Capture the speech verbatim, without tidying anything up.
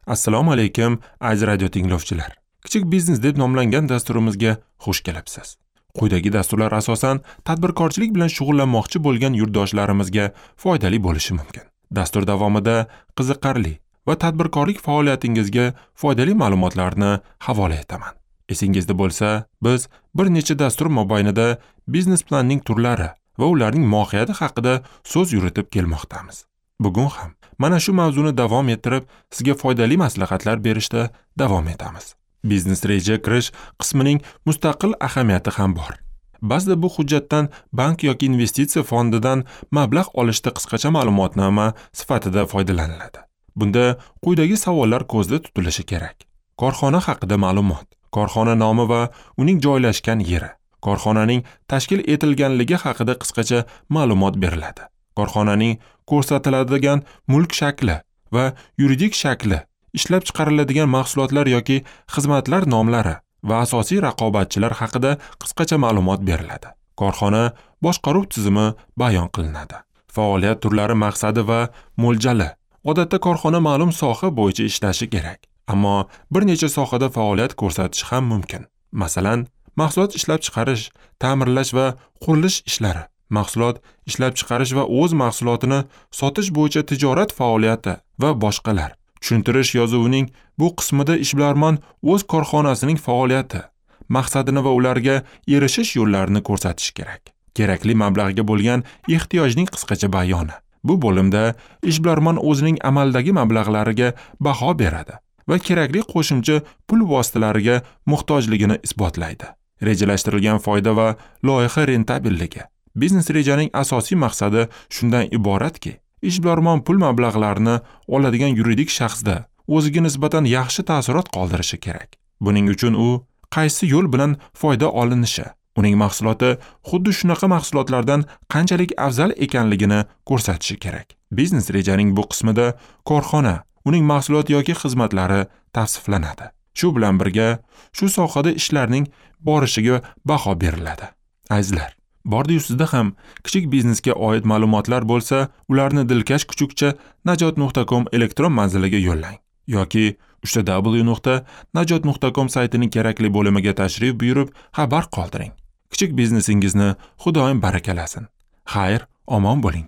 Assalomu alaykum, aziz radio tinglovchilar. Kichik biznes deb nomlangan dasturimizga xush kelibsiz. Quyidagi dasturlar asosan tadbirkorchilik bilan shug'ullanmoqchi bo'lgan yurtdoshlarimizga foydali bo'lishi mumkin. Dastur davomida qiziqarli va tadbirkorlik faoliyatingizga foydali ma'lumotlarni havola etaman. Esingizda bo'lsa, biz bir necha dastur mobaynida biznes planning turlari va ularning mohiyati haqida so'z yuritib kelmoqdamiz. Bugun ham mana shu mavzuni davom ettirib, sizga foydali maslahatlar berishda davom etamiz. Biznes reja kirish qismining mustaqil ahamiyati ham bor. Ba'zida bu hujjatdan bank yoki investitsiya fondidan mablag' olishda qisqacha ma'lumotnoma sifatida foydalaniladi. Bunda quyidagi savollar ko'zda tutilishi kerak. Korxona haqida ma'lumot, korxona nomi va uning joylashgan yeri, korxonaning tashkil etilganligi haqida qisqacha ma'lumot beriladi. Korxonaning ko'rsatiladigan mulk shakli va yuridik shakli, ishlab chiqariladigan mahsulotlar yoki xizmatlar nomlari va asosiy raqobatchilar haqida qisqacha ma'lumot beriladi. Korxona boshqaruv tizimi bayon qilinadi. Faoliyat turlari maqsadi va mo'ljali. Odatda korxona ma'lum soha bo'yicha ishlashi kerak, ammo bir necha sohada faoliyat ko'rsatishi ham mumkin. Masalan, mahsulot ishlab chiqarish, ta'mirlash va qurilish ishlari, mahsulot ishlab chiqarish va o'z mahsulotini sotish bo'yicha tijorat faoliyati va boshqalar. Tushuntirish yozuvining bu qismida ishbilarmon o'z korxonasining faoliyati, maqsadini va ularga erishish yo'llarini ko'rsatishi kerak. Kerakli mablag'ga bo'lgan ehtiyojning qisqacha bayoni. Bu bo'limda ishbilarmon o'zining amaldagi mablag'lariga baho beradi va kerakli qo'shimcha pul vositalariga muhtojligini isbotlaydi. Rejalashtirilgan foyda va loyiha rentabelligi. Biznes rejaning asosiy maqsadi shundan iboratki, ishbilarmon pul mablag'larini oladigan yuridik shaxsda o'ziga nisbatan yaxshi taassurot qoldirishi kerak. Buning uchun u qaysi yo'l bilan foyda olinishi, uning mahsuloti xuddi shunaqa mahsulotlardan qanchalik afzal ekanligini ko'rsatishi kerak. Biznes rejaning bu qismida korxona, uning mahsulot yoki xizmatlari tavsiflanadi. Shu bilan birga shu sohada ishlarning borishiga baho beriladi. Azizlar, bordi-yu sizda ham kichik biznesga oid ma'lumotlar bo'lsa, ularni dilkash kuchukcha najot nuqta com elektron manziliga yo'llang yoki uchta w nuqta najot nuqta com saytining kerakli bo'limiga tashrif buyurib xabar qoldiring. Kichik biznesingizni Xudoyim barakalasin. Xayr, omon bo'ling.